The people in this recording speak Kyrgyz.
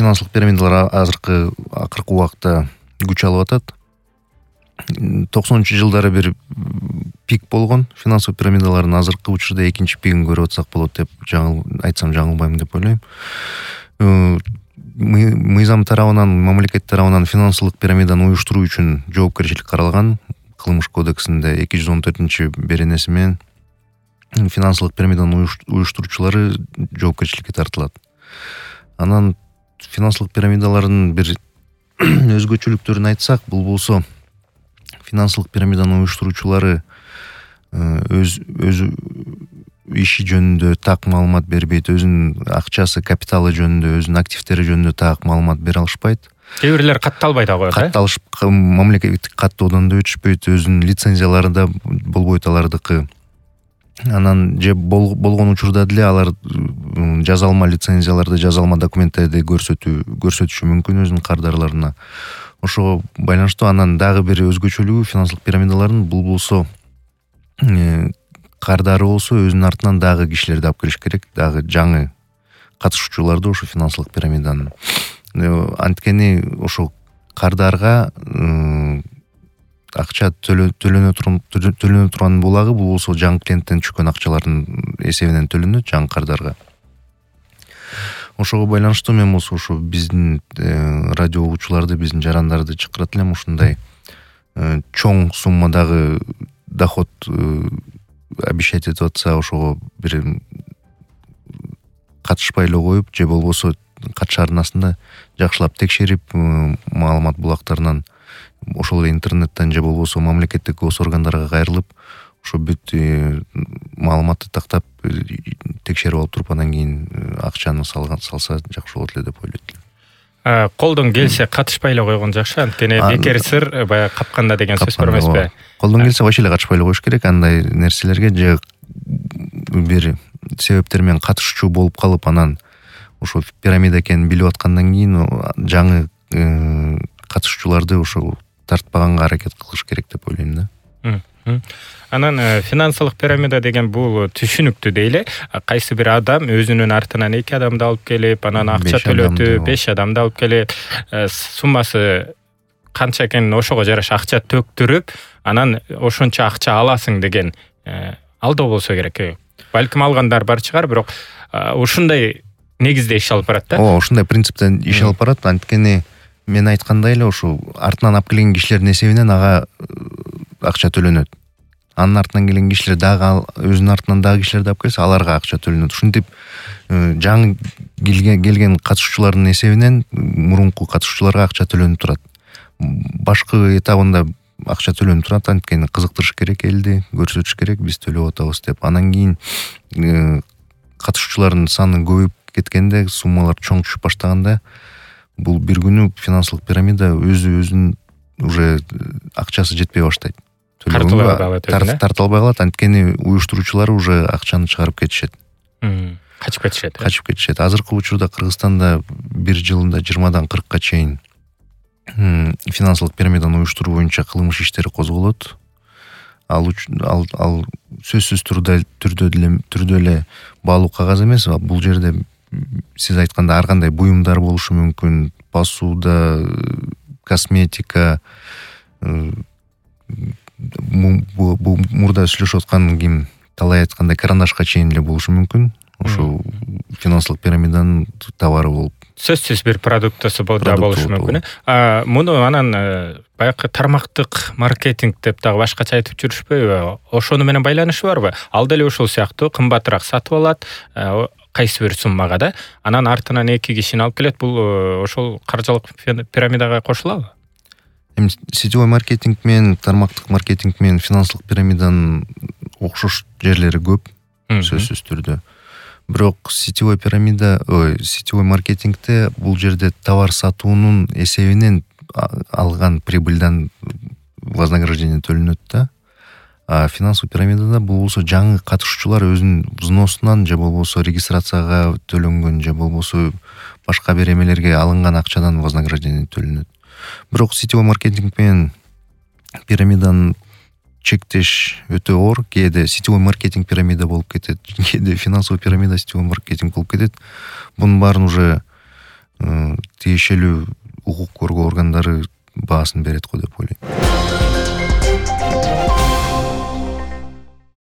финансылык пирамидалар акыркы убакта күч алып атат. 90-жылдары бир пик болгон финансылык пирамидалардын, азыркы учурда экинчи пигин көрүп атсак болот деп айтсам жаңылбайм деп ойлойм. Мыйзам тарабынан, мамлекет тарабынан финансылык пирамиданы уюштуруу үчүн жоопкерчилик каралган кылмыш кодексинде 214-беренеси менен финансылык пирамиданы уюштуруучулары жоопкерчиликке тартылат. Анан финансылык пирамидалардын бир өзгөчөлүктөрүн айтсак, бул болсо финансылык пирамиданы уюштуруучулары өз иши жөнүндө так маалымат бербейт, өзүнүн акчасы, капиталы жөнүндө, өзүнүн активдери жөнүндө так маалымат бере алышпайт. Кээ бирлер катталбай да коет, катталышып, мамлекеттик каттоодон да өтүшпөйт, өзүнүн лицензиялары да болбойт алардыкы. Анан же болгон учурда деле алар жазалма лицензияларды, жазалма документтерди көрсөтүшү мүмкүн өзүнүн кардарларына. Ошого байланыштуу анан дагы бир өзгөчөлүгү финансылык пирамидалардын, бул болсо кардары болсо өзүнүн артынан дагы кишилерди алып келиш керек, дагы жаңы катышуучуларды ошо финансылык пирамиданын. Анткени ошо кардарга акча төлөнө турган булагы, бул болсо жаңы клиенттен түшкөн акчалардын эсебинен төлөнөт жаңы кардарга. Ошого байланыштуу мен болсо ошо биздин радио угуучуларды, биздин жарандарды чакырат элем, ушундай чоң суммадагы доход обещать этип атса, ошого бир катышпай эле коюп, же болбосо катыш арнасында жакшылап текшерип, маалымат булактарынан, ошол эле интернеттен же болбосо мамлекеттик госоргандарга кайрылып, ошо бүт маалыматты тактап текшерип алып туруп, анан кийин акчаны салса жакшы болот эле деп ойлойт элем. Колдон келсе катышпай эле койгон жакшы, анткени бекер сыр баягы капканда деген сөз бар эмеспи? Колдон келсе вообще эле катышпай эле коюш керек андай нерселерге, же бир себептер менен катышуучу болуп калып, анан ошо пирамида экенин билип аткандан кийин жаңы катышуучуларды ошо тартпаганга аракет кылыш керек деп ойлойм да. Анан финансылык пирамида деген бул түшүнүктүү дейле. Кайсы бир адам өзүнүн артынан 2 адамды алып келип, анан акча төлөтүп, 5 адамды алып келип, суммасы канча экенин ошого жараша акча төктүрүп, анан ошончо акча аласың деген алдоо болсо керек. Балким алгандар бар чыгар, бирок ушундай негизде иш алып барат да. Ушундай принциптен иш алып барат, анткени мен айткандай эле ошо артынан алып келген кишилердин эсебинен ага акча төлөнөт. Анын артынан келген кишилер дагы өзүнүн артынан дагы кишилерди алып келсе, аларга акча төлөнөт. Ушинтип жаңы келген катышуучулардын эсебинен мурунку катышуучуларга акча төлөнүп турат. Башкы этабында акча төлөнүп турат, анткени кызыктырыш керек элди, көрсөтүш керек, биз төлөп атабыз деп. Анан кийин катышуучулардын саны көбөйүп кеткенде, суммалар чоң түшүп баштаганда, бул бир күнү финансылык пирамида өзүнүн уже акчасы жетпей баштайт. Тартылбай калат, анткени уюштуруучулар уже акчаны чыгарып кетишет. Качып кетишет. Азыркы учурда Кыргызстанда бир жылында 20-дан 40-ка чейин финансылык пирамиданы уюштуруу боюнча кылмыш иштери козголот. Ал сөзсүз түрдө эле баалуу кагаз эмес, бул жерде сиз айткандай ар кандай буюмдар болушу мүмкүн, посуда, косметика, мурда сүйлөшүп аткан ким талай айткандай карандашка чейин эле болушу мүмкүн. Ошо финансылык пирамиданын товары болуп. Сөзсүз бир продуктысы болушу мүмкүн. Муну анан баягы тармактык маркетинг деп дагы башкача айтып жүрүшпөйбү? Ошону менен байланышы барбы? Ал деле ушул сыяктуу кымбатыраак сатып алат, кайсы бир суммага да, анан артынан 2 кишини алып келет. Бул ошол каржылык пирамидага кошулабы? Сетевой маркетинг менен тармактык маркетинг менен финансылык пирамиданын окшош жерлери көп, сөзсүз түрдө. Бирок сетевой маркетингде бул жерде товар сатуунун эсебинен алган прибыльдан вознаграждение төлөнөт да. А финансовый пирамидада бул болсо жаңы катышуучулар өзүнүн взносунан же болбосо регистрацияга төлөнгөн же болбосо башка бир эмелерге алынган акчадан вознаграждение төлөнөт. Бирок сетевой маркетинг менен пирамиданын чектеш өтө оор. Кээде сетевой маркетинг пирамида болуп кетет, кээде финансовый пирамида сетевой маркетинг болуп кетет. Бунун баарын уже тиешелүү укук коргоо органдары баасын берет го деп ойлойм.